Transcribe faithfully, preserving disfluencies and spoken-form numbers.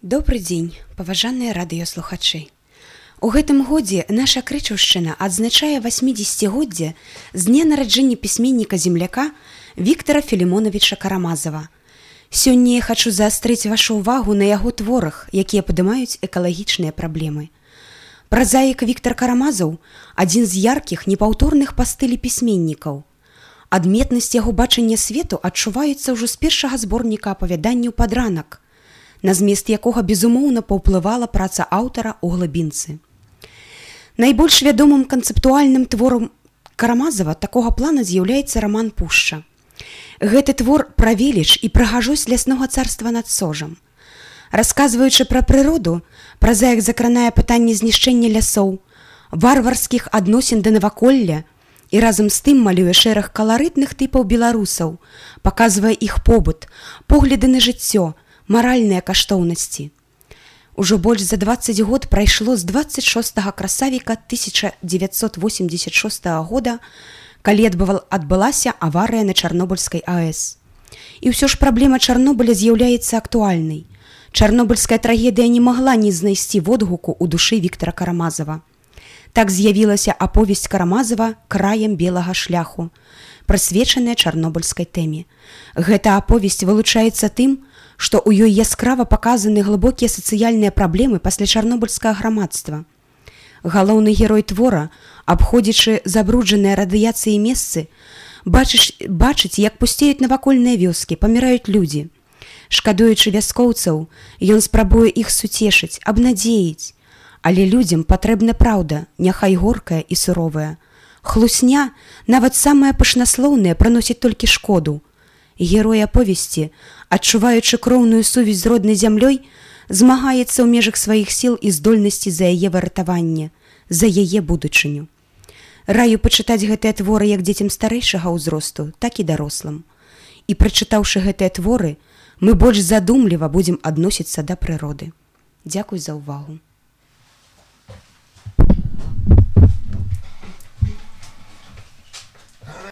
Добры дзень, паважаныя радыёслухачы. У гэтым годзе наша Крычаўшчына адзначае васьмідзесяцігоддзе з дня нараджэння пісьменніка-земляка Віктара Філімонавіча Карамазава. Сёння я хачу заастрыць вашу ўвагу на яго творах, якія падымаюць экалагічныя праблемы. Празаік Віктар Карамазаў – адзін з яркіх, непаўторных па стылі пісьменнікаў. Адметнасць яго бачання свету адчуваецца ўжо з першага зборніка апавяданняў «Падранак», на змест якога безумоўна паўплывала праца аўтара ў глыбінцы. Найбольш вядомым канцэптуальным творам Карамазава такога плана з'яўляецца раман «Пушча». Гэты твор пра веліч і прыгажосць ляснога царства над Сожам. Расказваючы пра прыроду, празаік закранае пытанне знішчэння лясоў, варварскіх адносін да наваколля і разам з тым малюе шэраг каларытных тыпаў беларусаў, паказвае іх побыт, погляды на жыццё, маральныя каштоўнасці. Ужо больш за дваццаць год прайшло з дваццаць шостага красавіка тысяча дзевяцьсот восемьдесят шостага года, калі адбылася аварыя на Чарнобыльскай АЭС. І ўсё ж праблема Чарнобыля з'яўляецца актуальнай. Чарнобыльская трагедыя не магла не знайсці водгуку ў душы Віктара Карамазава. Так з'явілася аповесць Карамазава «Краем белага шляху», прысвечаная чарнобыльскай тэме. Гэта аповесць вылучаецца тым, што ў ёй яскрава паказаны глыбокія сацыяльныя праблемы пасля чарнобыльскага грамадства. Галоўны герой твора, абходзячы забруджаныя радыяцыяй месцы, бачыць, бачыць, як пусцеюць навакольныя вёскі, паміраюць людзі. Шкадуючы вяскоўцаў, ён спрабуе іх суцешыць, абнадзеіць. Але людзям патрэбна праўда, няхай горкая і суровая. Хлусня, нават самая пышнаслоўная, прыносіць толькі шкоду. Герой аповесці, адчуваючы кроўную сувязь з роднай зямлёй, змагаецца ў межах сваіх сіл і здольнасці за яе выратаванне, за яе будучыню. Раю пачытаць гэтыя творы як дзецям старэйшага ўзросту, так і дарослым. І прачытаўшы гэтыя творы, мы больш задумліва будзем адносіцца да прыроды. Дзякуй за ўвагу.